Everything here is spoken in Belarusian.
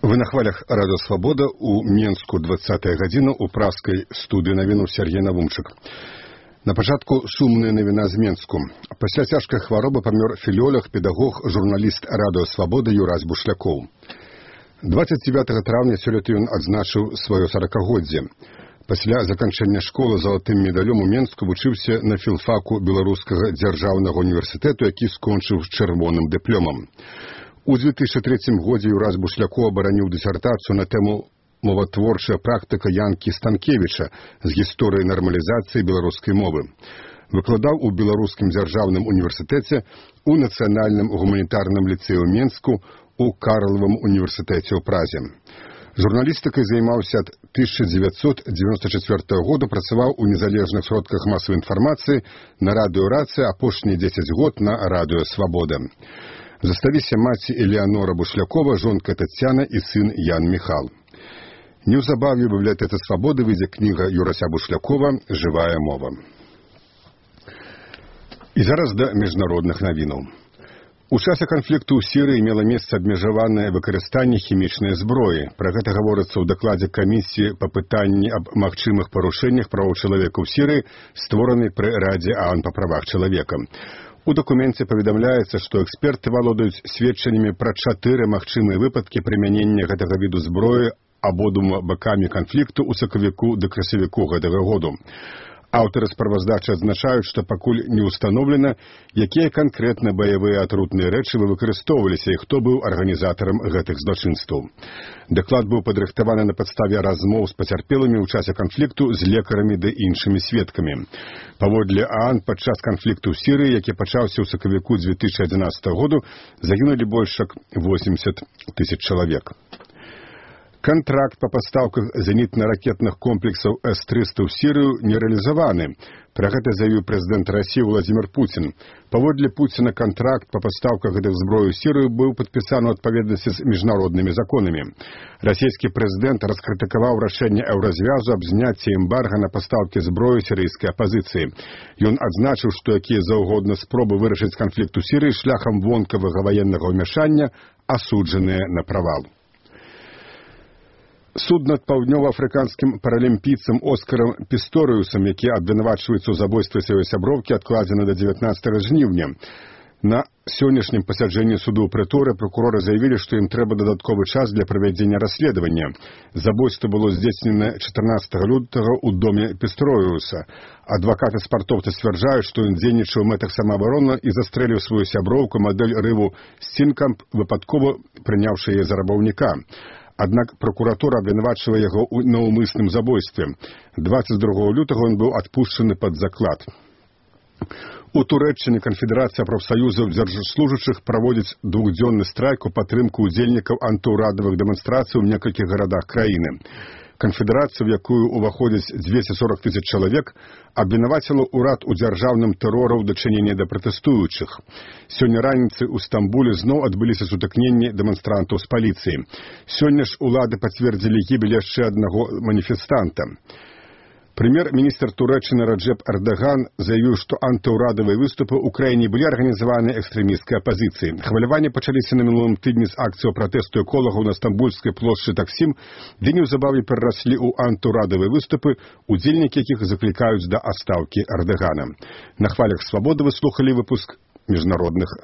Вы на хвалях Радио Свобода у Менску 20-я гадзіна у праскай студыі навіну Сергей Навумчык. На пачатку сумная навіна з Менску. Пасля цяжкай хваробы памёр філёлог, педагог, журналіст Радио Свобода Юрась Бушлякоў. 29 траўня сёлета ён адзначыў сваё 40-годдзе. Пасля заканчэння школы залатым медалём у Менску вучыўся на філфаку Беларускага дзяржаўнага універсітэту, які скончыў з чырвоным дыпломам. У 2003 годзе Юрась Бушлякоў абараніў дысертацыю на тэму «Моватворчая практыка Янкі Станкевіча з гісторыі нармалізацыі беларускай мовы». Выкладаў у Беларускім дзяржаўным універсітэце, у Нацыянальным гуманітарным ліцэі ў Менску, у Карлавым універсітэце ў Празе. Журналістыкай займаўся ад 1994 года, працаваў у незалежных сродках масавай інфармацыі, на радыё «Рацыя», апошнія 10 год на радыё «Свабода». Засталіся маці Элеанора Бушлякова, жонка Тацяна і сын Ян Міхал. Неўзабаве ў бібліятэцы «Свабоды» выйдзе кніга Юрася Бушлякова «Жывая мова». І зараз да міжнародных навінаў. У часе канфлікту ў Сірыі мела месца абмежаванае выкарыстанне хімічнай зброі. Пра гэта гаворыцца ў дакладзе камісіі па пытанні аб магчымых парушэннях правоў чалавека ў Сірыі, створанай пры Радзе АОН па правах чалавека. У дакуменце паведамляецца, што эксперты валодаюць сведчаннямі пра 4 магчымыя выпадкі прымянення гэтага віду зброі абодвума бакамі канфлікту ў сакавіку да красавіку гэтага году. Аўтары справаздачы адзначаюць, што пакуль не ўстаноўлена, якія канкрэтна баявыя атрутныя рэчывы выкарыстоўваліся і хто быў арганізатарам гэтых злачынстваў. Даклад быў падрыхтаваны на падставе размоў з пацярпелымі ў часе канфлікту з лекарамі ды іншымі сведкамі. Паводле АОН, падчас канфлікту ў Сірыі, які пачаўся ў сакавіку 2011 году, загінулі больш як 80 тысяч чалавек. Кантракт па пастаўках зенітна-ракетных комплексаў С-300 ў Сірыю не рэалізаваны. Пра гэта заявіў прэзідэнт Расіі Владзімір Пуцін. Паводле Пуціна, кантракт па пастаўках гэтых зброі ў Сірыю быў падпісаны ў адпаведнасці з міжнароднымі законамі. Расійскі прэзідэнт раскрытыкаваў рашэнне Еўразвязу аб зняцці эмбарга на пастаўкі зброі сірыйскай апазіцыі. Ён адзначыў, што якія заўгодна спробы вырашыць канфлікт у Сірыі шляхам вонкавага ваеннага ўмяшання асуджаныя на правал. Суд над паўднёва-афрыканскім паралімпійцам Оскарам Пісторыусам, які абвінавачваецца ў забойстве сваёй сяброўкі, адкладзены да 19 жніўня. На сённяшнім пасяджэнні суду ў Прыторы пракуроры заявілі, што ім трэба дадатковы час для правядзення расследавання. Забойства было здзейснена 14 лютага ў доме Пісторыуса. Адвакаты спартоўца сцвярджаюць, што ён дзейнічаў у мэтах самаабароны і застрэліў сваю сяброўку, мадэль рыву Стінкамп, выпадкова прыняўшы яе за рабаўніка. Аднак пракуратура абвінавачвае яго ў наўмысным забойстве. 22 лютага ён быў адпушчаны пад заклад. У Турэччыне Канфедэрацыя прафсаюзаў дзяржслужачых праводзіць двухдзённы страйк у падтрымку ўдзельнікаў антыўрадавых дэманстрацый у некалькіх гарадах краіны. Канфедэрацыя, у якую ўваходзяць 240 тысяч чалавек, абвінаваціла ўрад у дзяржаўным тэроры ў дачыненні да пратэстуючых. Сёння раніцай у Стамбуле зноў адбыліся сутыкненні дэманстрантаў з паліцыяй. Сёння ж улады пацвердзілі гібель яшчэ аднаго маніфестанта. Прэм'ер-міністр Турэччыны Раджэп Эрдаган заявіў, што антыўрадавыя выступы ў краіне былі арганізаваны экстрэмісцкай апазіцыяй. Хваляванні пачаліся на мінулым тыдні з акцыяў пратэсту эколагаў на стамбульскай плошчы Таксім, ды неўзабаве перараслі ў антыўрадавыя выступы, удзельнікі якіх заклікаюць да адстаўкі Эрдагана. На хвалях Свабоды вы слухалі выпуск міжнародных